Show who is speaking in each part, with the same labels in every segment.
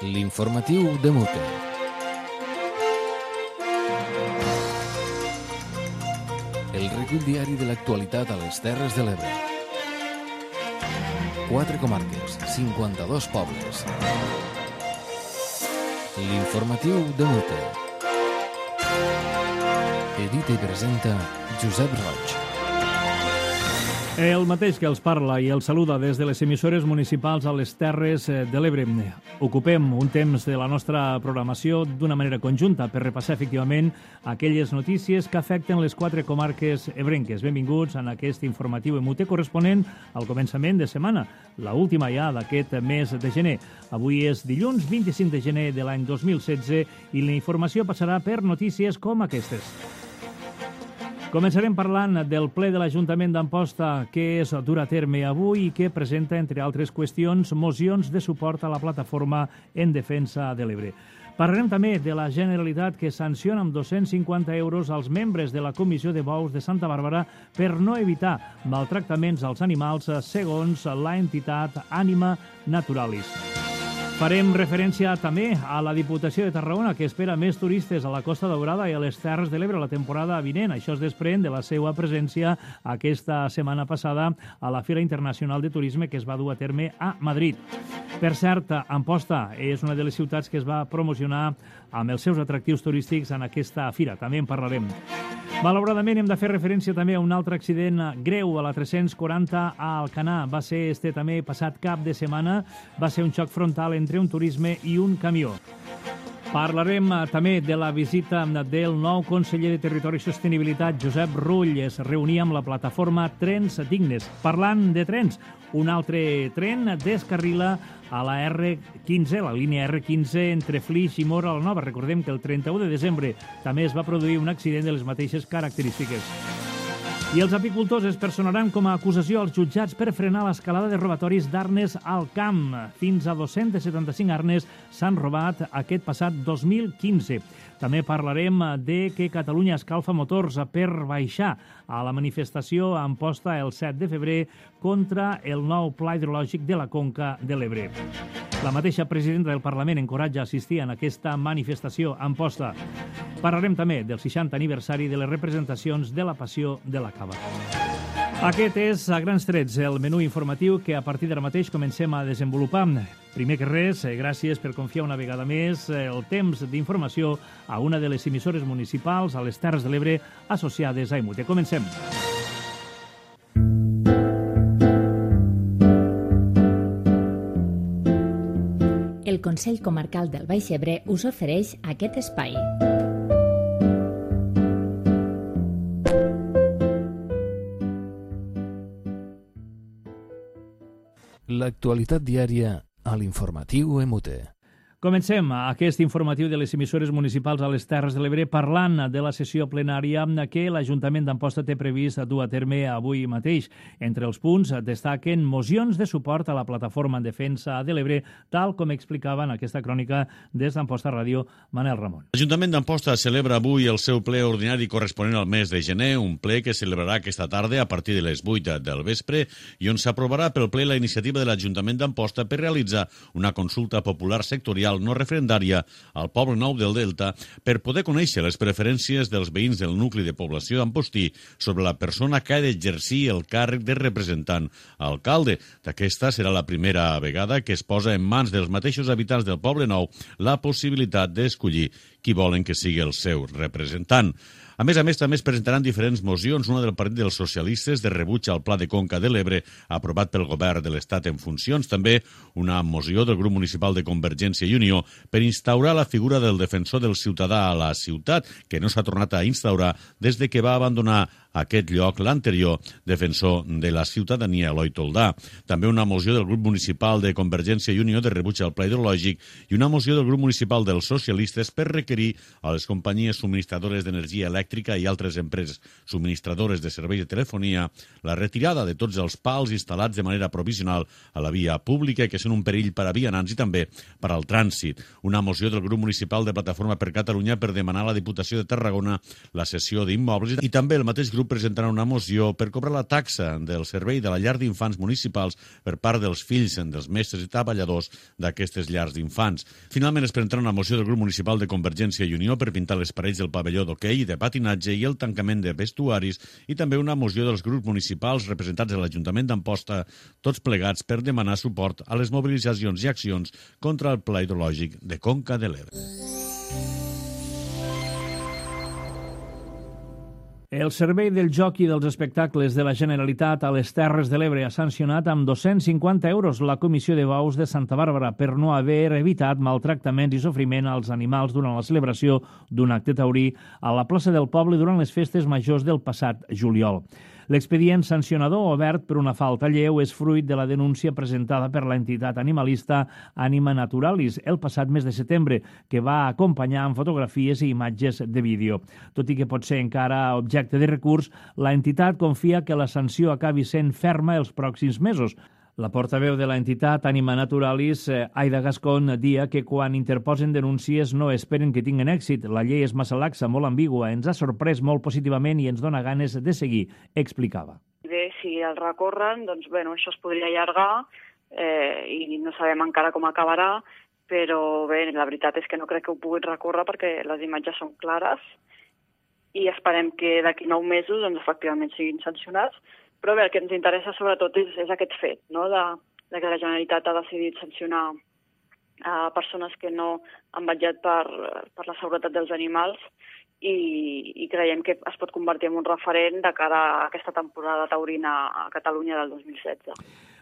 Speaker 1: L'informatiu de Mute. El recull diari de l'actualitat a les Terres de l'Ebre. 4 comarques, 52 pobles. L'informatiu de Mute. Edita i presenta Josep Roig.
Speaker 2: El mateix que els parla i els saluda des de les emissores municipals a les Terres de l'Ebre. Ocupem un temps de la nostra programació d'una manera conjunta per repassar efectivament aquelles notícies que afecten les 4 comarques ebrenques. Benvinguts en aquest informatiu EMUTE corresponent al començament de setmana, la última ja d'aquest mes de gener. Avui és dilluns 25 de gener de l'any 2016 i la informació passarà per notícies com aquestes. Començarem parlant del ple de l'Ajuntament d'Amposta que es dur a terme avui i que presenta, entre altres qüestions, mocions de suport a la plataforma en defensa de l'Ebre. Parlarem també de la Generalitat que sanciona amb 250 euros als membres de la Comissió de Bous de Santa Bàrbara per no evitar maltractaments als animals segons la entitat Ànima Naturalis. Farem referència també a la Diputació de Tarragona, que espera més turistes a la Costa Daurada i a les Terres de l'Ebre la temporada vinent. Això es desprèn de la seva presència aquesta setmana passada a la Fira Internacional de Turisme que es va dur a terme a Madrid. Per cert, Amposta és una de les ciutats que es va promocionar amb els seus atractius turístics en aquesta fira. També en parlarem. Malauradament hem de fer referència també a un altre accident greu a la 340 a Alcanar. Va ser també passat cap de setmana. Va ser un xoc frontal entre un turisme i un camió. Parlarem també de la visita del nou conseller de Territori i Sostenibilitat, Josep Rull. Es reunia amb la plataforma Trens Dignes. Parlant de trens, un altre tren descarrila a la R15, la línia R15 entre Flix i Móra la Nova. Recordem que el 31 de desembre també es va produir un accident de les mateixes característiques. I els apicultors es personaran com a acusació als jutjats per frenar l'escalada de robatoris d'arnes al camp. Fins a 275 arnes s'han robat aquest passat 2015. També parlarem de que Catalunya escalfa motors per baixar a la manifestació a Amposta el 7 de febrer contra el nou pla hidrològic de la Conca de l'Ebre. La mateixa presidenta del Parlament encoratja a assistir en aquesta manifestació a Amposta. Parlarem també del 60 aniversari de les representacions de la Passió de la Cava. Aquest és, a grans trets, el menú informatiu que a partir d'ara mateix comencem a desenvolupar. Primer que res, gràcies per confiar una vegada més el temps d'informació a una de les emissores municipals a les Terres de l'Ebre associades a EMUTE. Comencem.
Speaker 3: El Consell Comarcal del Baix Ebre us ofereix aquest espai.
Speaker 1: L'actualitat diària a l'informatiu EMUTE.
Speaker 2: Comencem aquest informatiu de les emissores municipals a les Terres de l'Ebre parlant de la sessió plenària que l'Ajuntament d'Amposta té previst dur a terme avui mateix. Entre els punts destaquen mocions de suport a la plataforma en defensa de l'Ebre, tal com explicava en aquesta crònica des d'Amposta Ràdio Manel Ramon.
Speaker 4: L'Ajuntament d'Amposta celebra avui el seu ple ordinari corresponent al mes de gener, un ple que celebrarà aquesta tarda a partir de les 8 del vespre i on s'aprovarà pel ple la iniciativa de l'Ajuntament d'Amposta per realitzar una consulta popular sectorial no referendària al Poble Nou del Delta per poder conèixer les preferències dels veïns del nucli de població d'Ampostí sobre la persona que ha d'exercir el càrrec de representant alcalde. Aquesta serà la primera vegada que es posa en mans dels mateixos habitants del Poble Nou la possibilitat d'escollir qui volen que sigui el seu representant. A més, també es presentaran diferents mocions, una del Partit dels Socialistes de rebuig al Pla de Conca de l'Ebre, aprovat pel govern de l'Estat en funcions, també una moció del grup municipal de Convergència i Unió per instaurar la figura del defensor del ciutadà a la ciutat, que no s'ha tornat a instaurar des de que va abandonar aquest lloc l'anterior defensor de la ciutadania, Eloi Toldà. També una moció del grup municipal de Convergència i Unió de rebuig al pla hidrològic i una moció del grup municipal dels socialistes per requerir a les companyies subministradores d'energia elèctrica i altres empreses subministradores de serveis de telefonia la retirada de tots els pals instal·lats de manera provisional a la via pública que són un perill per a vianants i també per al trànsit. Una moció del grup municipal de Plataforma per Catalunya per demanar a la Diputació de Tarragona la cessió d'immobles i també el mateix grup grup presentarà una moció per cobrar la taxa del servei de la llar d'infants municipals per part dels fills dels mestres i treballadors d'aquestes llars d'infants. Finalment es presentarà una moció del grup municipal de Convergència i Unió per pintar les parets del pavelló d'hoquei i de patinatge i el tancament de vestuaris, i també una moció dels grups municipals representats a l'Ajuntament d'Amposta, tots plegats per demanar suport a les mobilitzacions i accions contra el Pla Hidrològic de Conca de l'Ebre.
Speaker 2: El Servei del Joc i dels Espectacles de la Generalitat a les Terres de l'Ebre ha sancionat amb 250 euros la Comissió de Bous de Santa Bàrbara per no haver evitat maltractaments i sofriment als animals durant la celebració d'un acte taurí a la plaça del poble durant les festes majors del passat juliol. L'expedient sancionador obert per una falta lleu és fruit de la denúncia presentada per l'entitat animalista Anima Naturalis el passat mes de setembre, que va acompanyar amb fotografies i imatges de vídeo. Tot i que pot ser encara objecte de recurs, la entitat confia que la sanció acabi sent ferma els pròxims mesos. La portaveu de l'entitat Anima Naturalis, Aida Gascón, dia que quan interposen denúncies no esperen que tinguen èxit. La llei és massa laxa, molt ambigua, ens ha sorprès molt positivament i ens dona ganes de seguir, explicava.
Speaker 5: Bé, si el recorren, doncs bueno, això es podria allargar i no sabem encara com acabarà, però bé, la veritat és que no crec que ho puguin recórrer perquè les imatges són clares i esperem que d'aquí 9 mesos doncs, efectivament siguin sancionats. Però bé, el que ens interessa sobretot és aquest fet, no? de que la Generalitat ha decidit sancionar persones que no han vetllat per la seguretat dels animals i creiem que es pot convertir en un referent de cara a aquesta temporada taurina a Catalunya del 2016.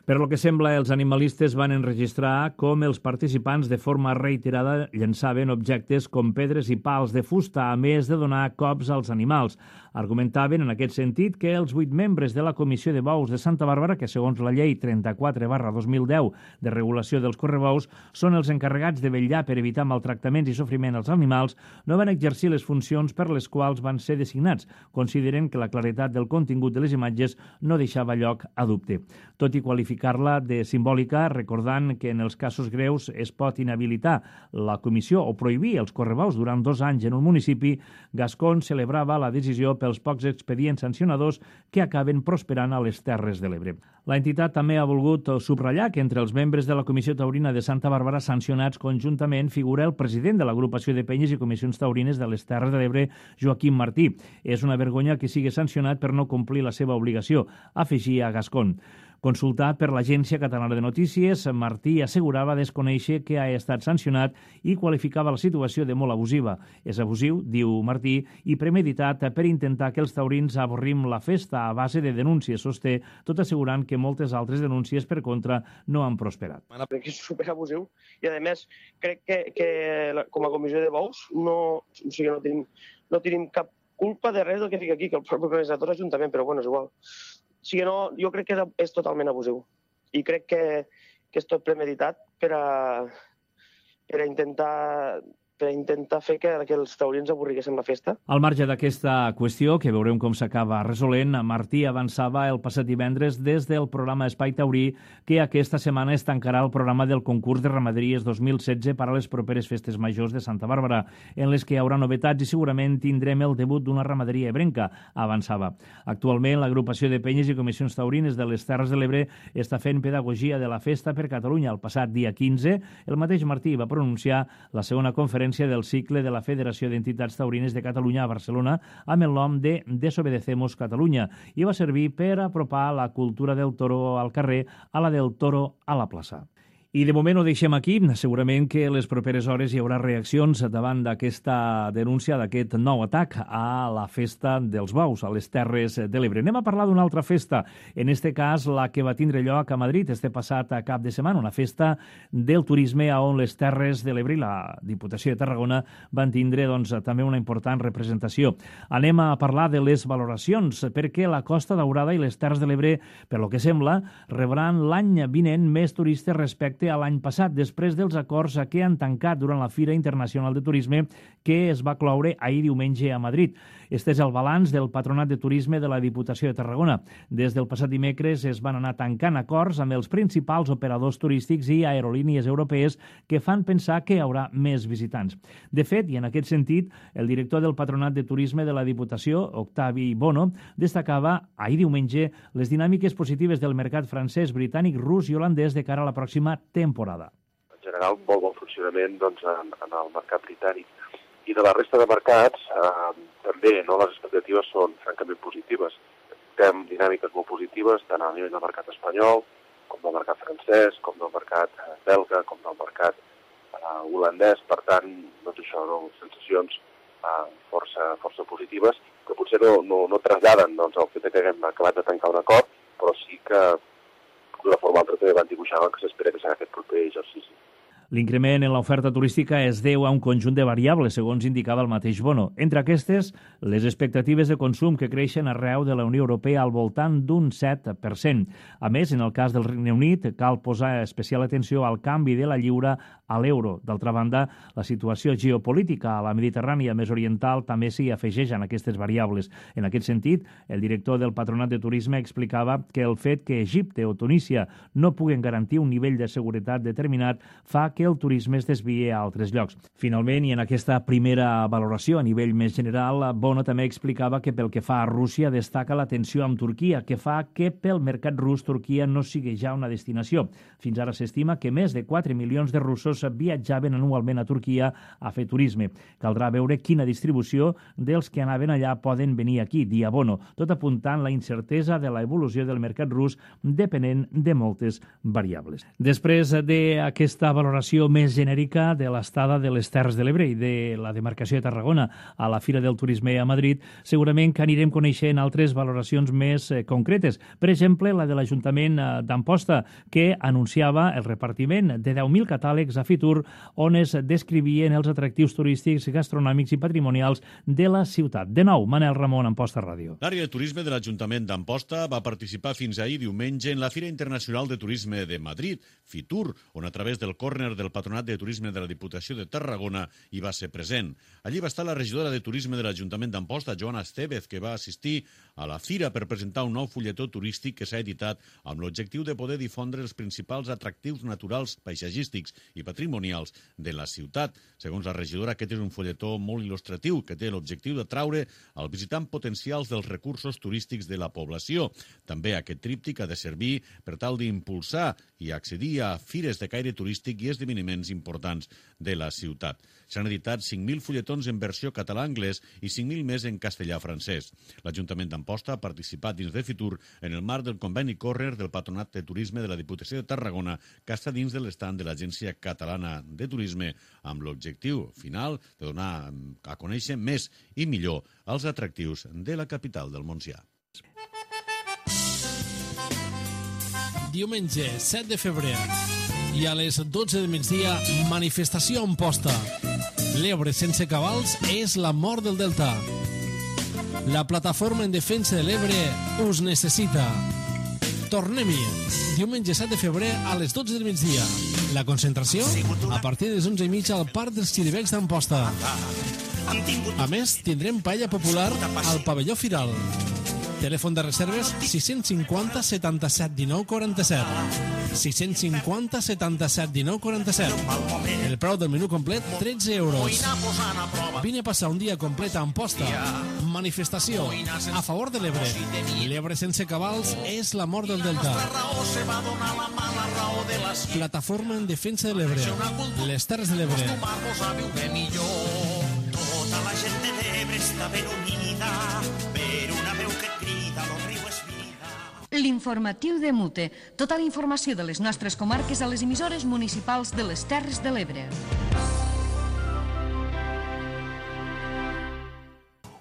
Speaker 2: Per lo que sembla, els animalistes van enregistrar com els participants de forma reiterada llançaven objectes com pedres i pals de fusta, a més de donar cops als animals. Argumentaven en aquest sentit que els 8 membres de la Comissió de Bous de Santa Bàrbara, que segons la llei 34/2010 de regulació dels correbous són els encarregats de vetllar per evitar maltractaments i sofriment als animals, no van exercir les funcions per les quals van ser designats, consideren que la claretat del contingut de les imatges no deixava lloc a dubte. Tot i qualificar-la de simbòlica, recordant que en els casos greus es pot inhabilitar la comissió o prohibir els correbous durant 2 anys en un municipi, Gascón celebrava la decisió pels pocs expedients sancionadors que acaben prosperant a les Terres de l'Ebre. L'entitat també ha volgut subratllar que entre els membres de la Comissió Taurina de Santa Bàrbara sancionats conjuntament figura el president de l'Agrupació de Penyes i Comissions Taurines de les Terres de l'Ebre, Joaquim Martí. És una vergonya que sigui sancionat per no complir la seva obligació, afegia Gascón. Consultat per l'Agència Catalana de Notícies, Martí assegurava desconèixer que ha estat sancionat i qualificava la situació de molt abusiva. És abusiu, diu Martí, i premeditat per intentar que els taurins avorrim la festa a base de denúncies, sosté, tot assegurant que moltes altres denúncies per contra no han prosperat.
Speaker 6: Crec que és superabusiu i, a més, crec que com a comissió de bous no tenim cap culpa de res del que fica aquí, que el propi organitzador és l'Ajuntament, però bueno, és igual. O sigui, jo crec que és totalment abusiu i crec que és tot premeditat per intentar fer que els taurins avorriguessin la festa.
Speaker 2: Al marge d'aquesta qüestió, que veurem com s'acaba resolent, Martí avançava el passat divendres des del programa Espai Taurí que aquesta setmana es tancarà el programa del concurs de ramaderies 2016 per a les properes festes majors de Santa Bàrbara, en les que hi haurà novetats i segurament tindrem el debut d'una ramaderia ebrenca, avançava. Actualment, l'agrupació de penyes i comissions taurines de les Terres de l'Ebre està fent pedagogia de la festa per Catalunya. El passat dia 15, el mateix Martí va pronunciar la segona conferència del cicle de la Federació d'Entitats Taurines de Catalunya a Barcelona amb el nom de Desobedecemos Catalunya i va servir per apropar la cultura del toro al carrer a la del toro a la plaça. I de moment ho deixem aquí. Segurament que les properes hores hi haurà reaccions davant d'aquesta denúncia, d'aquest nou atac a la festa dels bous, a les Terres de l'Ebre. Anem a parlar d'una altra festa, en este cas la que va tindre lloc a Madrid este passat cap de setmana, una festa del turisme on les Terres de l'Ebre i la Diputació de Tarragona van tindre també una important representació. Anem a parlar de les valoracions, perquè la Costa Daurada i les Terres de l'Ebre, per lo que sembla, rebran l'any vinent més turistes respecte respecte a l'any passat, després dels acords que han tancat durant la Fira Internacional de Turisme que es va cloure ahir diumenge a Madrid. Este és el balanç del Patronat de Turisme de la Diputació de Tarragona. Des del passat dimecres es van anar tancant acords amb els principals operadors turístics i aerolínies europees que fan pensar que hi haurà més visitants. De fet, i en aquest sentit, el director del Patronat de Turisme de la Diputació, Octavi Bono, destacava ahir diumenge les dinàmiques positives del mercat francès, britànic, rus i holandès de cara a la pròxima temporada.
Speaker 7: En general, molt bon funcionament en el mercat britànic. I de la resta de mercats, també les expectatives són francament positives. Tem dinàmiques molt positives, tant a nivell del mercat espanyol, com del mercat francès, com del mercat belga, com del mercat holandès. Per tant, sensacions força positives, que potser no traslladen el fet que haguem acabat de tancar un acord, però sí que d'una forma o altra també van dibuixar que s'espera que serà aquest proper exercici.
Speaker 2: L'increment en l'oferta turística es deu a un conjunt de variables, segons indicava el mateix Bono. Entre aquestes, les expectatives de consum que creixen arreu de la Unió Europea al voltant d'un 7%. A més, en el cas del Regne Unit, cal posar especial atenció al canvi de la lliura a l'euro. D'altra banda, la situació geopolítica a la Mediterrània més oriental també s'hi afegeix en aquestes variables. En aquest sentit, el director del Patronat de Turisme explicava que el fet que Egipte o Tunísia no puguen garantir un nivell de seguretat determinat fa que el turisme es desvia a altres llocs. Finalment, i en aquesta primera valoració a nivell més general, Bono també explicava que pel que fa a Rússia destaca la tensió amb Turquia, que fa que pel mercat rus Turquia no sigui ja una destinació. Fins ara s'estima que més de 4 milions de russos viatjaven anualment a Turquia a fer turisme. Caldrà veure quina distribució dels que anaven allà poden venir aquí, dia Bono, tot apuntant la incertesa de la evolució del mercat rus depenent de moltes variables. Després d'aquesta valoració més genèrica de l'estada de les Terres de l'Ebre i de la demarcació de Tarragona a la Fira del Turisme a Madrid, segurament que anirem coneixent altres valoracions més concretes. Per exemple, la de l'Ajuntament d'Amposta, que anunciava el repartiment de 10.000 catàlegs a Fitur on es descrivien els atractius turístics, gastronòmics i patrimonials de la ciutat. De nou, Manel Ramon, Amposta Ràdio.
Speaker 4: L'àrea de turisme de l'Ajuntament d'Amposta va participar fins ahir diumenge en la Fira Internacional de Turisme de Madrid, Fitur, on a través del córner del Patronat de Turisme de la Diputació de Tarragona hi va ser present. Allí va estar la regidora de Turisme de l'Ajuntament d'Amposta, Joana Estevez, que va assistir a la fira per presentar un nou fulletó turístic que s'ha editat amb l'objectiu de poder difondre els principals atractius naturals, paisatgístics i patrimonials de la ciutat. Segons la regidora, aquest és un fulletó molt il·lustratiu que té l'objectiu d'atraure al visitant potencials dels recursos turístics de la població. També aquest tríptic ha de servir per tal d'impulsar i accedir a fires de caire turístic i esdeveniments importants de la ciutat. S'han editat 5.000 fulletons en versió català-anglès i 5.000 més en castellà-francès. L'Ajuntament d'Amposta ha participat dins de Fitur en el marc del conveni córner del Patronat de Turisme de la Diputació de Tarragona, que està dins de l'estand de l'Agència Catalana de Turisme, amb l'objectiu final de donar a conèixer més i millor els atractius de la capital del Montsià.
Speaker 8: Diumenge 7 de febrer i a les 12 del migdia, manifestació a Amposta. L'Ebre sense cabals és la mort del Delta. La plataforma en defensa de l'Ebre us necessita. Tornem-hi. Diumenge 7 de febrer a les 12 del migdia. La concentració a partir de les 11:30 al Parc dels Xiribecs d'Amposta. A més, tindrem paella popular al pavelló Firal. Telèfon de reserves 650 77 19 47. 650 77 19 47. El preu del menú complet, 13 euros. Vine a passar un dia complet a Amposta. Manifestació a favor de l'Ebre. L'Ebre sense cabals és la mort del Delta. Plataforma en defensa de l'Ebre. Les Terres de l'Ebre.
Speaker 9: Tota la gent de l'Ebre està ben unida per una veu que crida, el riu és vida.
Speaker 10: L'informatiu de Mute. Tota la informació de les nostres comarques a les emissores municipals de les Terres de l'Ebre.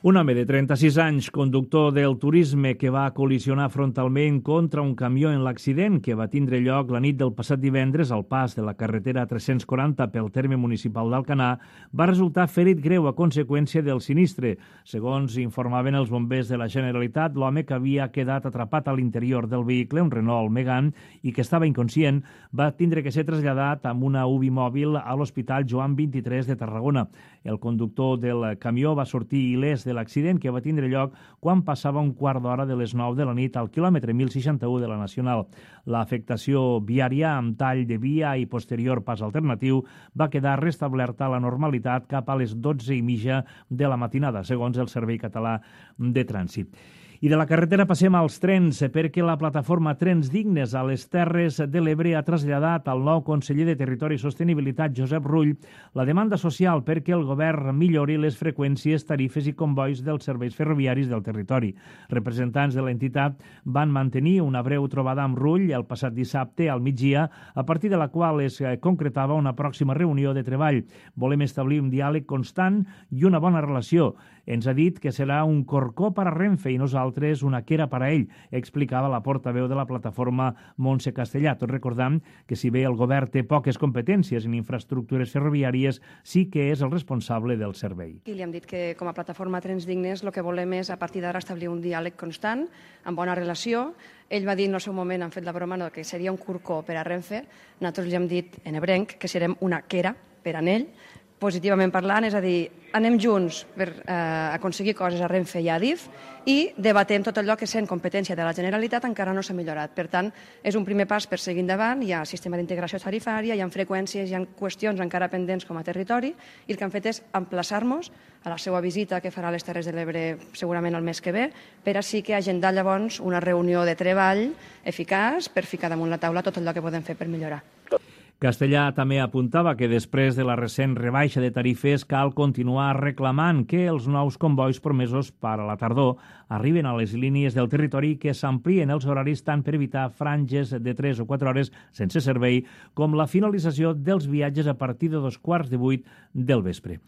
Speaker 2: Un home de 36 anys, conductor del turisme, que va col·lisionar frontalment contra un camió en l'accident que va tindre lloc la nit del passat divendres al pas de la carretera 340 pel terme municipal d'Alcanar, va resultar ferit greu a conseqüència del sinistre. Segons informaven els bombers de la Generalitat, l'home que havia quedat atrapat a l'interior del vehicle, un Renault Megane, i que estava inconscient, va tindre que ser traslladat amb una UBI mòbil a l'Hospital Joan 23 de Tarragona. El conductor del camió va sortir il·lès de l'accident que va tindre lloc quan passava un quart d'hora de les 9 de la nit al quilòmetre 1061 de la Nacional. L'afectació viària amb tall de via i posterior pas alternatiu va quedar restablerta a la normalitat cap a les 12:30 de la matinada, segons el Servei Català de Trànsit. I de la carretera passem als trens, perquè la plataforma Trens Dignes a les Terres de l'Ebre ha traslladat al nou conseller de Territori i Sostenibilitat, Josep Rull, la demanda social perquè el govern millori les freqüències, tarifes i convois dels serveis ferroviaris del territori. Representants de l'entitat van mantenir una breu trobada amb Rull el passat dissabte al migdia, a partir de la qual es concretava una pròxima reunió de treball. Volem establir un diàleg constant i una bona relació. Ens ha dit que serà un corcó per a Renfe i nosaltres una quera per a ell, explicava la portaveu de la plataforma Montse Castellà. Tot recordant que si bé el govern té poques competències en infraestructures ferroviàries, sí que és el responsable del servei.
Speaker 11: I li hem dit que com a plataforma Trens Dignes el que volem és a partir d'ara establir un diàleg constant, amb bona relació. Ell va dir en el seu moment, han fet la broma, que seria un corcó per a Renfe. Nosaltres li hem dit en ebrenc que serem una quera per a ell, positivament parlant, és a dir, anem junts per aconseguir coses a Renfe i a Adif i debatem tot allò que sent competència de la Generalitat encara no s'ha millorat. Per tant, és un primer pas per seguir endavant, hi ha sistema d'integració tarifària, hi ha freqüències, hi ha qüestions encara pendents com a territori i el que han fet és emplaçar-nos a la seva visita que farà a les Terres de l'Ebre segurament el mes que ve per així que agendar llavors una reunió de treball eficaç per ficar damunt la taula tot allò que podem fer per millorar.
Speaker 2: Castellà també apuntava que després de la recent rebaixa de tarifes cal continuar reclamant que els nous convois promesos per a la tardor arriben a les línies del territori i que s'amplien els horaris tant per evitar franges de 3 o 4 hores sense servei com la finalització dels viatges a partir de 7:15 del vespre.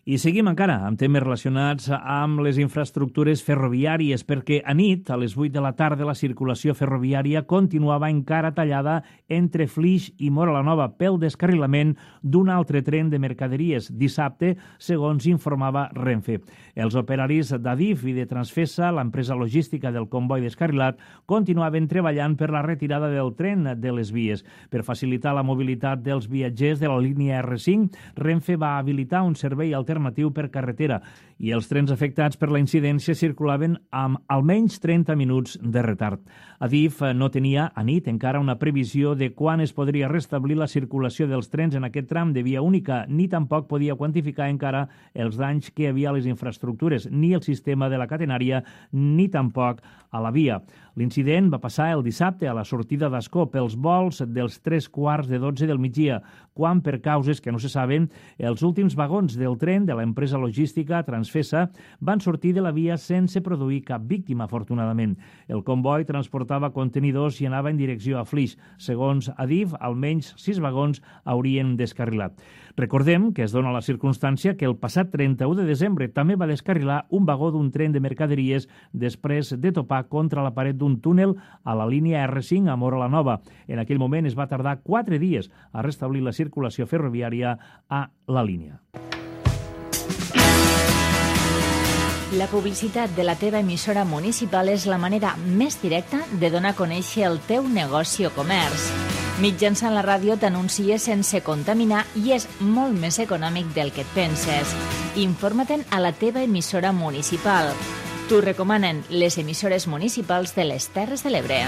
Speaker 2: I seguim encara amb temes relacionats amb les infraestructures ferroviàries, perquè a nit, a les 8 de la tarda, la circulació ferroviària continuava encara tallada entre Flix i Móra la Nova pel descarrilament d'un altre tren de mercaderies dissabte, segons informava Renfe. Els operaris d'Adif i de Transfesa, l'empresa logística del comboi descarrilat, continuaven treballant per la retirada del tren de les vies. Per facilitar la mobilitat dels viatgers de la línia R5, Renfe va habilitar un servei alternatiu per carretera i els trens afectats per la incidència circulaven amb almenys 30 minuts de retard. Adif no tenia a nit encara una previsió de quan es podria restablir la circulació dels trens en aquest tram de via única, ni tampoc podia quantificar encara els danys que hi havia a les infraestructures, ni el sistema de la catenària, ni tampoc a la via. L'incident va passar el dissabte a la sortida d'Ascó pels vols dels 3:15 del migdia, quan, per causes que no se saben, els últims vagons del tren de l'empresa logística Transfesa van sortir de la via sense produir cap víctima, afortunadament. El comboi transportava contenidors i anava en direcció a Flix. Segons Adif, almenys 6 vagons haurien descarrilat. Recordem que es dona la circumstància que el passat 31 de desembre també va descarrilar un vagó d'un tren de mercaderies després de topar contra la paret d'un túnel a la línia R5 a Móra la Nova. En aquell moment es va tardar 4 dies a restablir la circulació ferroviària a la línia.
Speaker 3: La publicitat de la teva emissora municipal és la manera més directa de donar a conèixer el teu negoci o comerç. Mitjançant la ràdio t'anuncies sense contaminar i és molt més econòmic del que et penses. Informa-te'n a la teva emissora municipal. T'ho recomanen les emissores municipals de les Terres de l'Ebre.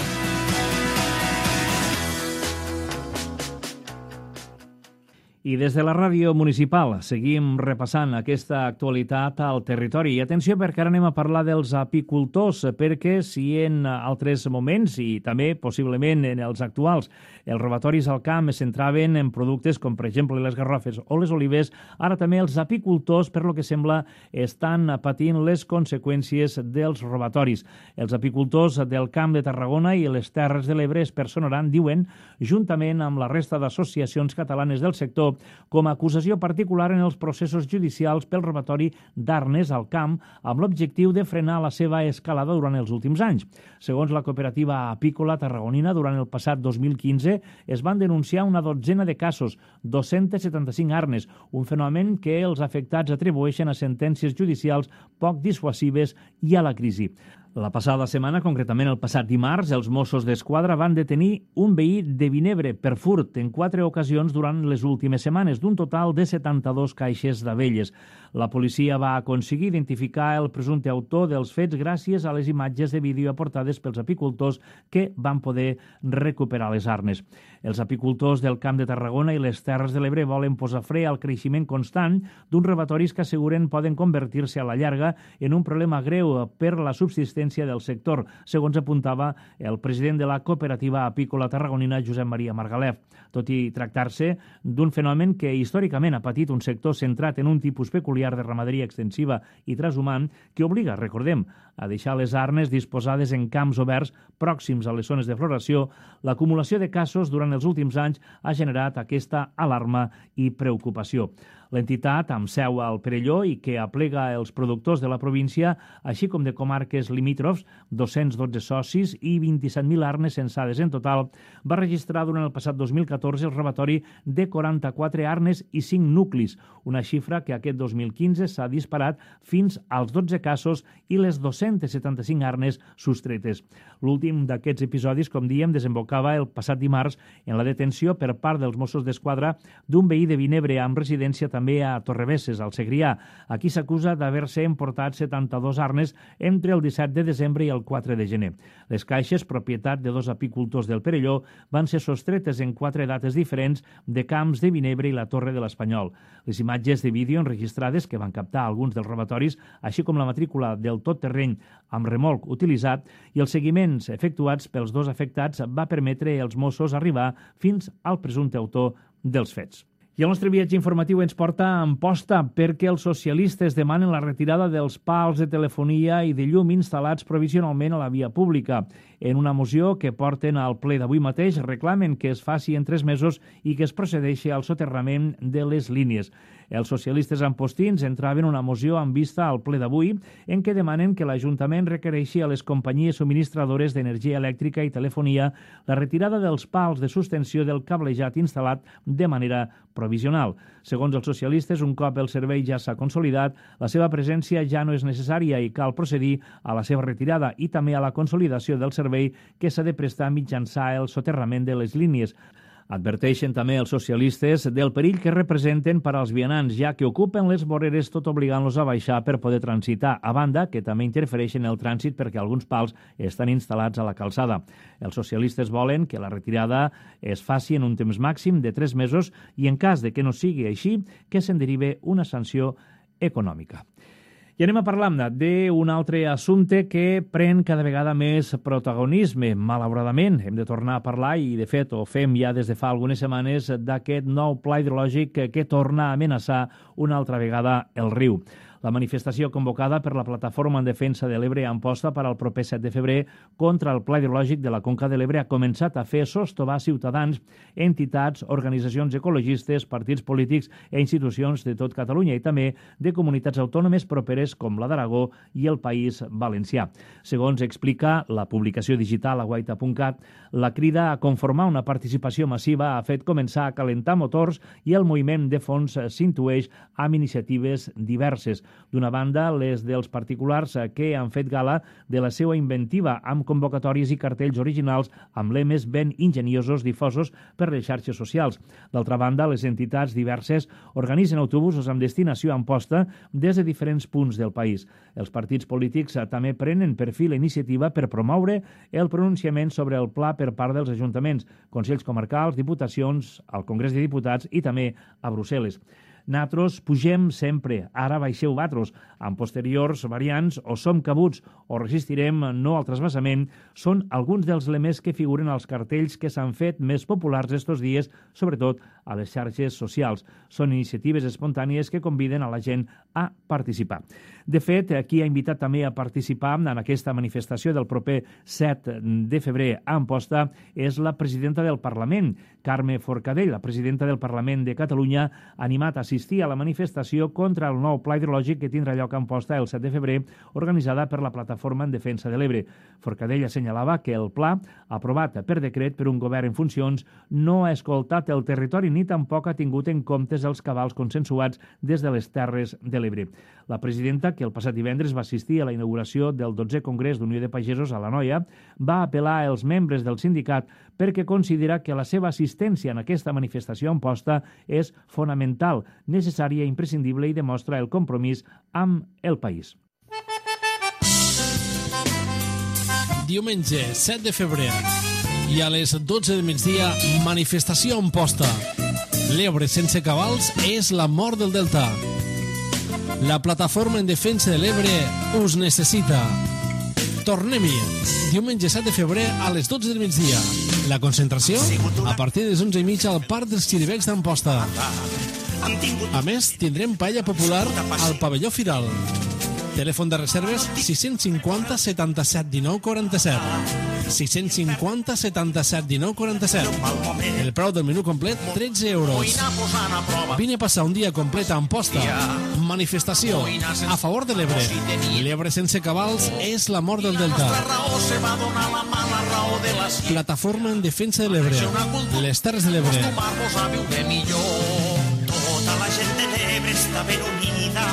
Speaker 2: I des de la ràdio municipal seguim repassant aquesta actualitat al territori. I atenció, perquè ara anem a parlar dels apicultors, perquè si en altres moments, i també possiblement en els actuals, els robatoris al camp es centraven en productes com, per exemple, les garrofes o les olives, ara també els apicultors, per lo que sembla, estan patint les conseqüències dels robatoris. Els apicultors del Camp de Tarragona i les Terres de l'Ebre es personaran, diuen, juntament amb la resta d'associacions catalanes del sector, com a acusació particular en els processos judicials pel robatori d'arnes al camp amb l'objectiu de frenar la seva escalada durant els últims anys. Segons la cooperativa apícola tarragonina, durant el passat 2015 es van denunciar una dotzena de casos, 275 arnes, un fenomen que els afectats atribueixen a sentències judicials poc dissuasives i a la crisi. La passada setmana, concretament el passat dimarts, els Mossos d'Esquadra van detenir un veí de Vinebre per furt en 4 ocasions durant les últimes setmanes, d'un total de 72 caixes d'abelles. La policia va aconseguir identificar el presumpte autor dels fets gràcies a les imatges de vídeo aportades pels apicultors que van poder recuperar les arnes. Els apicultors del Camp de Tarragona i les Terres de l'Ebre volen posar fre al creixement constant d'uns robatoris que asseguren poden convertir-se a la llarga en un problema greu per la subsistència del sector, segons apuntava el president de la cooperativa apícola tarragonina, Josep Maria Margalef. Tot i tractar-se d'un fenomen que històricament ha patit un sector centrat en un tipus peculiar de ramaderia extensiva i transhumant que obliga, recordem, a deixar les arnes disposades en camps oberts pròxims a les zones de floració, l'acumulació de casos durant els últims anys ha generat aquesta alarma i preocupació. L'entitat, amb seu al Perelló i que aplega els productors de la província, així com de comarques limítrofs, 212 socis i 27.000 arnes censades en total, va registrar durant el passat 2014 el robatori de 44 arnes i 5 nuclis, una xifra que aquest 2015 s'ha disparat fins als 12 casos i les 275 arnes sostretes. L'últim d'aquests episodis, com diem, desembocava el passat dimarts en la detenció per part dels Mossos d'Esquadra d'un veí de Vinebre amb residència també a Torrebesses, al Segrià. Aquí s'acusa d'haver-se emportat 72 arnes entre el 17 de desembre i el 4 de gener. Les caixes, propietat de 2 apicultors del Perelló, van ser sostretes en 4 dates diferents de camps de Vinebre i la Torre de l'Espanyol. Les imatges de vídeo enregistrades que van captar alguns dels robatoris, així com la matrícula del tot terreny amb remolc utilitzat i els seguiments efectuats pels 2 afectats va permetre als Mossos arribar fins al presumpte autor dels fets. I el nostre viatge informatiu ens porta a Amposta perquè els socialistes demanen la retirada dels pals de telefonia i de llum instal·lats provisionalment a la via pública. En una moció que porten al ple d'avui mateix reclamen que es faci en 3 mesos i que es procedeixi al soterrament de les línies. Els socialistes ampostins entraven una moció amb vista al ple d'avui en què demanen que l'Ajuntament requereixi a les companyies subministradores d'energia elèctrica i telefonia la retirada dels pals de sustenció del cablejat instal·lat de manera provisional. Segons els socialistes, un cop el servei ja s'ha consolidat, la seva presència ja no és necessària i cal procedir a la seva retirada i també a la consolidació del servei que s'ha de prestar mitjançant el soterrament de les línies. Adverteixen també els socialistes del perill que representen per als vianants, ja que ocupen les voreres tot obligant-los a baixar per poder transitar, a banda que també interfereixen el trànsit perquè alguns pals estan instal·lats a la calçada. Els socialistes volen que la retirada es faci en un temps màxim de 3 mesos i en cas de que no sigui així, que se'n derive una sanció econòmica. I anem a parlar d'un altre assumpte que pren cada vegada més protagonisme. Malauradament, hem de tornar a parlar, i de fet ho fem ja des de fa algunes setmanes, d'aquest nou pla hidrològic que torna a amenaçar una altra vegada el riu. La manifestació convocada per la Plataforma en Defensa de l'Ebre a Amposta per al proper 7 de febrer contra el Pla Hidrològic de la Conca de l'Ebre ha començat a fer sostovar ciutadans, entitats, organitzacions ecologistes, partits polítics i institucions de tot Catalunya i també de comunitats autònomes properes com la d'Aragó i el País Valencià. Segons explica la publicació digital aguaita.cat, la crida a conformar una participació massiva ha fet començar a calentar motors i el moviment de fons s'intueix amb iniciatives diverses. D'una banda, les dels particulars que han fet gala de la seva inventiva amb convocatòries i cartells originals amb lemes ben enginyosos difosos per les xarxes socials. D'altra banda, les entitats diverses organitzen autobusos amb destinació a Amposta des de diferents punts del país. Els partits polítics també prenen per fi la iniciativa per promoure el pronunciament sobre el pla per part dels ajuntaments, consells comarcals, diputacions, al Congrés de Diputats i també a Brussel·les. Nosaltres pugem sempre, ara baixeu vosaltres. En posteriors variants, o som cabuts o resistirem no al trasbassament, són alguns dels lemes que figuren als cartells que s'han fet més populars estos dies, sobretot a les xarxes socials. Són iniciatives espontànies que conviden a la gent a participar. De fet, qui ha invitat també a participar en aquesta manifestació del proper 7 de febrer a Amposta és la presidenta del Parlament, Carme Forcadell. La presidenta del Parlament de Catalunya ha animat a assistir a la manifestació contra el nou pla hidrològic que tindrà lloc a Amposta el 7 de febrer, organitzada per la Plataforma en Defensa de l'Ebre. Forcadell assenyalava que el pla, aprovat per decret per un govern en funcions, no ha escoltat el territori ni tampoc ha tingut en compte els cabals consensuats des de les Terres de l'Ebre. La presidenta, que el passat divendres va assistir a la inauguració del 12è Congrés d'Unió de Pagesos a l'Anoia, va apel·lar als membres del sindicat perquè considera que la seva assistència en aquesta manifestació a Amposta és fonamental, necessària i imprescindible i demostra el compromís amb el país.
Speaker 8: Diumenge 7 de febrer i a les 12 del migdia, manifestació a Amposta. L'Ebre sense cabals és la mort del delta. La Plataforma en Defensa de l'Ebre us necessita. Tornem-hi. Diumenge 7 de febrer a les 12 del migdia. La concentració a partir de les 11:30 al Parc dels Xiribecs d'Amposta. A més, tindrem paella popular al pavelló Firal. Telèfon de reserves 650 77 19 47. 650 77 19 47. El preu del menú complet, 13 euros. Vine a passar un dia complet a Amposta. Manifestació a favor de l'Ebre. L'Ebre sense cabals és la mort del delta. Plataforma en Defensa de l'Ebre. Les Terres de l'Ebre.
Speaker 9: Tota la gent de l'Ebre està ben unida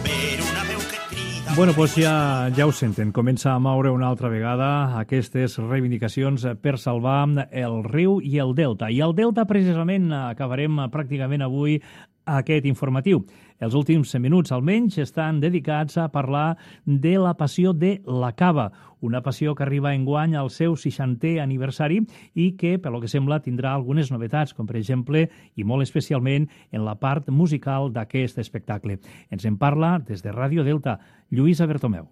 Speaker 9: per una veu que crida.
Speaker 2: Bueno, doncs ja ho senten. Comença a moure una altra vegada aquestes reivindicacions per salvar el riu i el delta. I el delta, precisament, acabarem pràcticament avui aquest informatiu. Els últims minuts, almenys, estan dedicats a parlar de la passió de la cava, una passió que arriba enguany al seu 60è aniversari i que, pel que sembla, tindrà algunes novetats, com per exemple, i molt especialment, en la part musical d'aquest espectacle. Ens en parla des de Ràdio Delta, Lluïsa Bertomeu.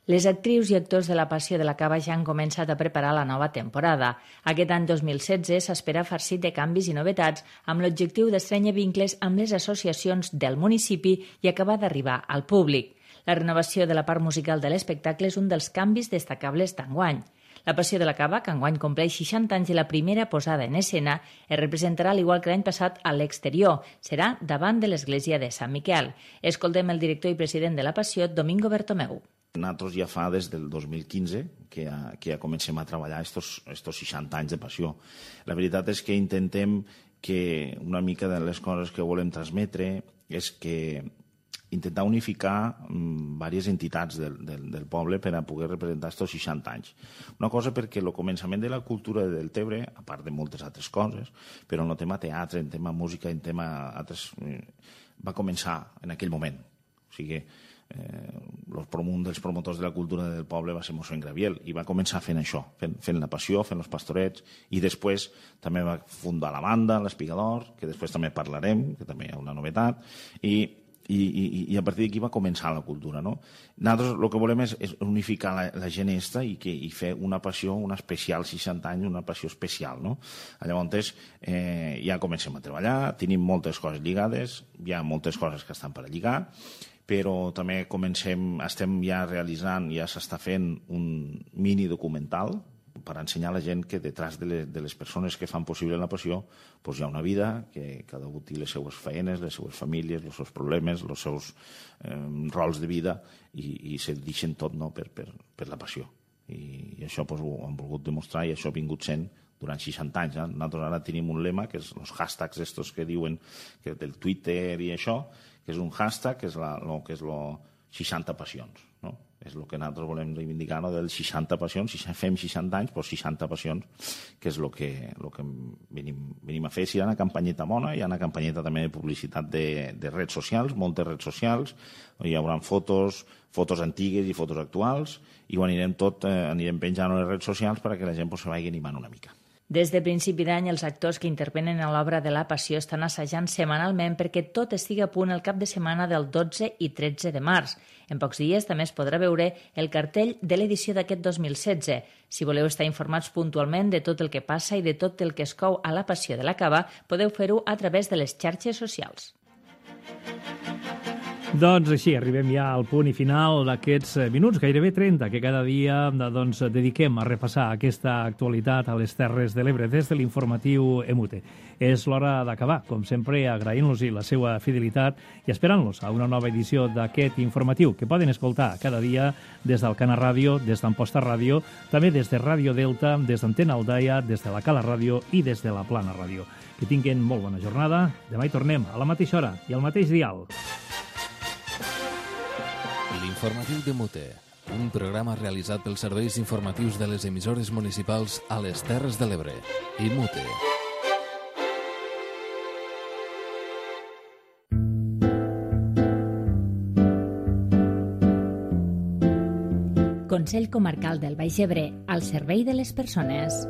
Speaker 3: Les actrius i actors de la Passió de la Cava ja han començat a preparar la nova temporada. Aquest any 2016 s'espera farcit de canvis i novetats amb l'objectiu d'estrènyer vincles amb les associacions del municipi i acabar d'arribar al públic. La renovació de la part musical de l'espectacle és un dels canvis destacables d'enguany. La Passió de la Cava, que enguany compleix 60 anys de la primera posada en escena, es representarà, al igual que l'any passat, a l'exterior. Serà davant de l'església de Sant Miquel. Escoltem el director i president de la Passió, Domingo Bertomeu.
Speaker 12: Nosaltres ja fa des del 2015 que ja comencem a treballar estos 60 anys de passió. La veritat és que intentem que una mica de les coses que volem transmetre és que intentar unificar diverses entitats del poble per a poder representar estos 60 anys. Una cosa perquè el començament de la cultura de Deltebre, a part de moltes altres coses, però en el tema teatre, en tema música, en tema altres, va començar en aquell moment. O sigui, un dels promotors de la cultura del poble va ser mossèn Graviel i va començar fent això, fent la passió, fent els pastorets, i després també va fundar la banda, l'Espigador, que després també parlarem, que també hi ha una novetat, i a partir d'aquí va començar la cultura, no? Nosaltres el que volem és unificar la gent esta i fer una passió, una especial 60 anys, una passió especial, no? Llavors ja comencem a treballar, tenim moltes coses lligades, hi ha moltes coses que estan per a lligar, però també estem ja realitzant, ja s'està fent un mini documental per ensenyar a la gent que detrás de les persones que fan possible la passió hi ha una vida, que cada un té les seues feines, les seues famílies, els seus problemes, els seus rols de vida i se deixen tot per la passió. I això ho hem volgut demostrar i això ha vingut sent durant 60 anys. Nosaltres ara tenim un lema, que és els hashtags estos que diuen del Twitter i això, que és un hashtag, que és el 60 passions, no? És el que nosaltres volem reivindicar, no? Del 60 passions, si fem 60 anys, doncs 60 passions, que és el que venim a fer. Si hi ha una campanyeta bona, hi ha una campanyeta també de publicitat de redes socials, moltes redes socials, hi haurà fotos antigues i fotos actuals, i ho anirem penjant a les redes socials perquè la gent se vagi animant una mica.
Speaker 3: Des de principi d'any, els actors que intervenen a l'obra de la Passió estan assajant setmanalment perquè tot estigui a punt el cap de setmana del 12 i 13 de març. En pocs dies també es podrà veure el cartell de l'edició d'aquest 2016. Si voleu estar informats puntualment de tot el que passa i de tot el que es cou a la Passió de la Cava, podeu fer-ho a través de les xarxes socials.
Speaker 2: Doncs així, arribem ja al punt i final d'aquests minuts, gairebé 30, que cada dia dediquem a repassar aquesta actualitat a les Terres de l'Ebre des de l'informatiu EMUTE. És l'hora d'acabar, com sempre, agraint-los la seva fidelitat i esperant-los a una nova edició d'aquest informatiu, que poden escoltar cada dia des del Cana Ràdio, des d'Amposta Ràdio, també des de Ràdio Delta, des d'Antena Aldaia, des de la Cala Ràdio i des de la Plana Ràdio. Que tinguin molt bona jornada. Demà hi tornem a la mateixa hora i al mateix dial.
Speaker 1: L'informatiu de Mute, un programa realitzat pels serveis informatius de les emissores municipals a les Terres de l'Ebre. I Mute.
Speaker 3: Consell Comarcal del Baix Ebre, al servei de les persones.